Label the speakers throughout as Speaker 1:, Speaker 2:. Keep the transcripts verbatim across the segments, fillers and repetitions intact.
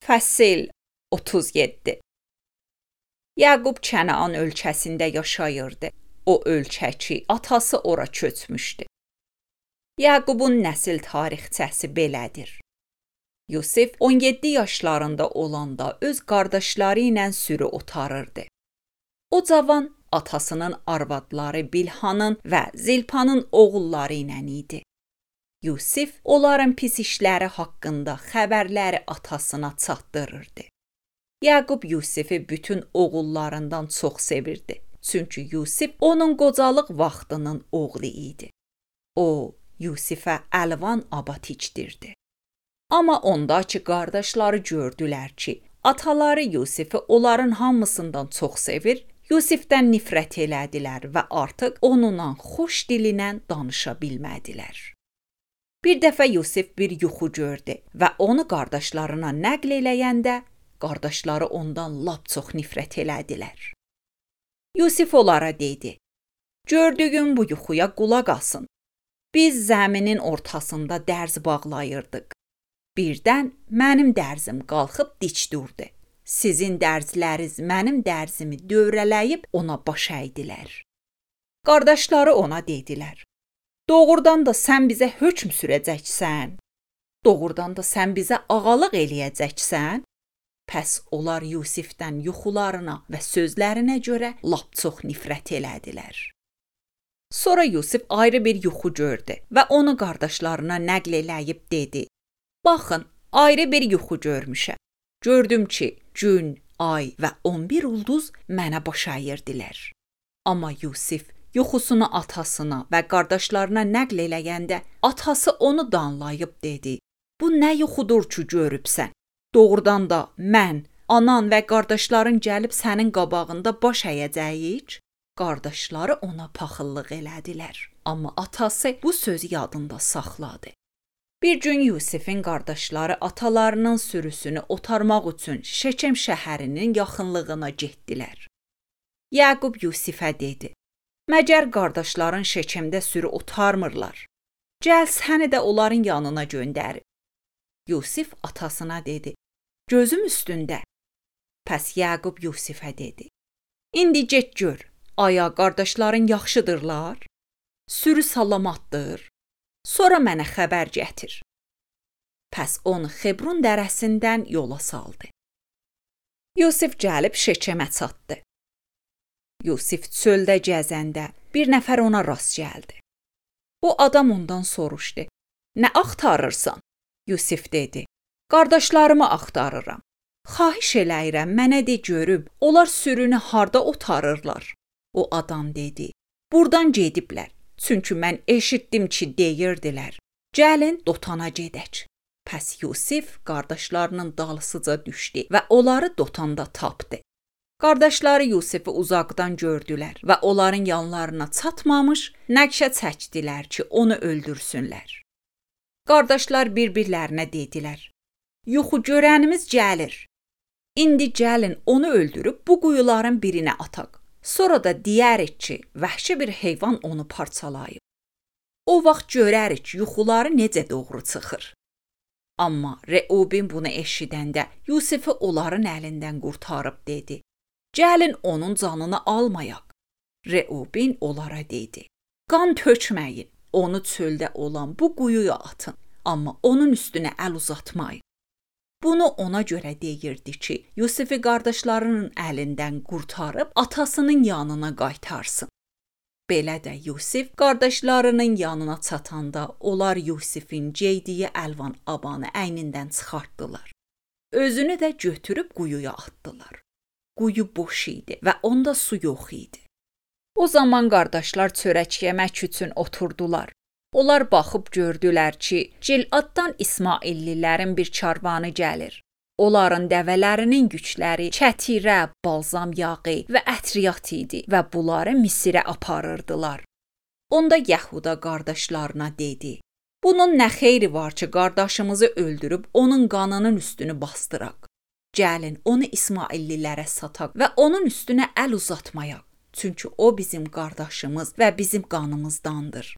Speaker 1: Fəsil otuz yeddi. Yaqub Kənaan ölkəsində yaşayırdı. O ölkəki atası ora köçmüşdü. Yaqubun nəsil tarixçəsi belədir. Yusif on yeddi yaşlarında olanda öz qardaşları ilə sürü otarırdı. O cavan atasının arvadları Bilhanın və Zilpanın oğulları ilə idi. Yusif onların pis işləri haqqında xəbərləri atasına çatdırırdı. Yaqub Yusifi bütün oğullarından çox sevirdi. Çünki Yusif onun qocalıq vaxtının oğlu idi. O, Yusifə əlvan abat içdirdi. Amma ondakı qardaşları gördülər ki, ataları Yusifi onların hamısından çox sevir, Yusifdən nifrət elədilər və artıq onunla xoş dilinə danışa bilmədilər. Bir dəfə Yusif bir yuxu gördü və onu qardaşlarına nəql eləyəndə qardaşları ondan lap çox nifrət elədilər. Yusif onlara dedi: "Gördüyüm bu yuxuya qulaq asın. Biz zəminin ortasında dərz bağlayırdıq. Birdən mənim dərzim qalxıb dik durdu. Sizin dərzləriniz mənim dərzimi dövrələyib ona baş əydilər." Qardaşları ona dedilər: "Doğrudan da sən bizə hökm sürəcəksən? Doğrudan da sən bizə ağalıq eləyəcəksən?" Pəs onlar Yusifdən yuxularına və sözlərinə görə lap çox nifrət elədilər. Sonra Yusif ayrı bir yuxu gördü və onu qardaşlarına nəql eləyib dedi: "Baxın, ayrı bir yuxu görmüşəm. Gördüm ki, gün, ay və on bir ulduz mənə baş əyirdilər." Amma Yusif yuxusunu atasına və qardaşlarına nəql eləyəndə atası onu danlayıb dedi: "Bu nə yuxudur ki görübsən? Doğrudan da mən, anan və qardaşların gəlib sənin qabağında baş əyəcəyik?" Qardaşları ona paxıllıq elədilər. Amma atası bu sözü yadında saxladı. Bir gün Yusifin qardaşları atalarının sürüsünü otarmaq üçün Şekem şəhərinin yaxınlığına getdilər. Yaqub Yusifə dedi: "Məgər qardaşların Şekemdə sürü otarmırlar? Gəl səni də onların yanına göndərim." Yusif atasına dedi: "Gözüm üstündə." Pəs Yaqub Yusifə dedi: "İndi get gör, aya qardaşların yaxşıdırlar? Sürü salamatdır? Sonra mənə xəbər gətir." Pəs onu Xebrun dərəsindən yola saldı. Yusif gəlib Şekemə çatdı. Yusif çöldə gəzəndə bir nəfər ona rast gəldi. Bu adam ondan soruşdu: "Nə axtarırsan?" Yusif dedi: "Qardaşlarımı axtarıram. Xahiş eləyirəm, mənə de görüm, onlar sürünü harda otarırlar?" O adam dedi: "Burdan gediblər. Çünki mən eşitdim ki, deyirdilər: Gəlin Dotana gedək." Pəs Yusif qardaşlarının dalısıca düşdü və onları Dotanda tapdı. Qardaşları Yusifi uzaqdan gördülər və onların yanlarına çatmamış nəqşə çəkdilər ki, onu öldürsünlər. Qardaşlar bir-birlərinə dedilər: "Yuxu görənimiz gəlir. İndi gəlin onu öldürüb bu quyuların birinə ataq. Sonra da deyərik ki, vəhşi bir heyvan onu parçalayıb. O vaxt görərik yuxuları necə doğru çıxır." Amma Reubin bunu eşidəndə Yusifi onların əlindən qurtarıb dedi: "Gəlin onun canını almayaq." Reubin onlara dedi: "Qan tökməyin, onu çöldə olan bu quyuya atın, amma onun üstünə əl uzatmayın." Bunu ona görə deyirdi ki, Yusifi qardaşlarının əlindən qurtarıb atasının yanına qaytarsın. Belə də Yusif qardaşlarının yanına çatanda onlar Yusifin geydiyi əlvan abanı əynindən çıxartdılar. Özünü də götürüb quyuya atdılar. Quyu boş idi və onda su yox idi. O zaman qardaşlar çörək yemək üçün oturdular. Onlar baxıb gördülər ki, Giladdan İsmaillilərin bir karvanı gəlir. Onların dəvələrinin yükləri kətirə, balzam yağı və ətriyat idi və bunları Misirə aparırdılar. Onda Yəhuda qardaşlarına dedi: "Bunun nə xeyri var ki, qardaşımızı öldürüb onun qanının üstünü bastıraq? Gəlin onu İsmaillilərə sataq və onun üstünə əl uzatmayaq. Çünki o bizim qardaşımız və bizim qanımızdandır."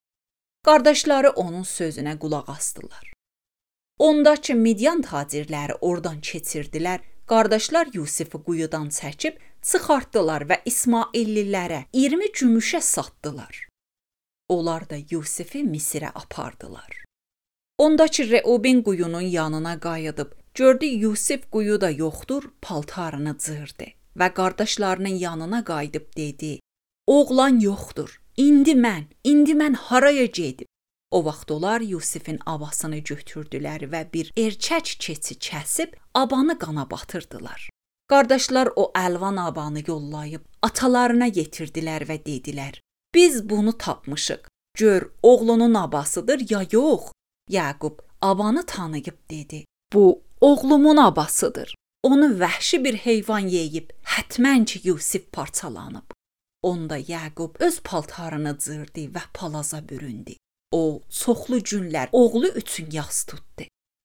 Speaker 1: Qardaşları onun sözünə qulaq asdılar. Ondakı Midyan tacirləri oradan keçirdilər, qardaşlar Yusifi quyudan çəkib çıxartdılar və İsmaillilərə iyirmi gümüşə satdılar. Onlar da Yusifi Misirə apardılar. Ondakı Reuben quyunun yanına qayıdıb, gördü Yusif quyuda yoxdur, paltarını cırdı və qardaşlarının yanına qayıdıb dedi, oğlan yoxdur, indi mən, indi mən haraya gedib? O vaxt onlar Yusifin abasını götürdülər və bir erkək keçi kəsib abanı qana batırdılar. Qardaşlar o əlvan abanı yollayıb atalarına yetirdilər və dedilər, biz bunu tapmışıq, gör oğlunun abasıdır ya yox? Yaqub abanı tanıyıb dedi, bu oğlumun abasıdır. Onu vəhşi bir heyvan yeyib, hətmən ki Yusif parçalanıb. Onda Yaqub öz paltarını cırdı və palaza büründü. O, çoxlu günlər oğlu üçün yas tutdu.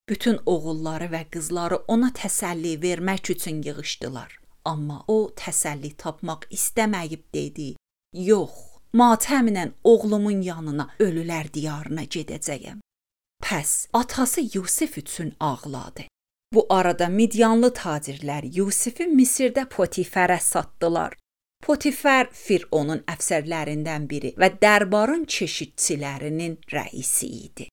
Speaker 1: Bütün oğulları və qızları ona təsəlli vermək üçün yığışdılar. Amma o, təsəlli tapmaq istəməyib dedi, yox, matəmlə oğlumun yanına ölülər diyarına gedəcəyəm. Pəs, atası Yusif üçün ağladı. Bu arada Midyanlı tacirlər Yusifi Misirdə Potifərə satdılar. Potifər Fironun əfsərlərindən biri və dərbarın keşikçilərinin rəisi idi.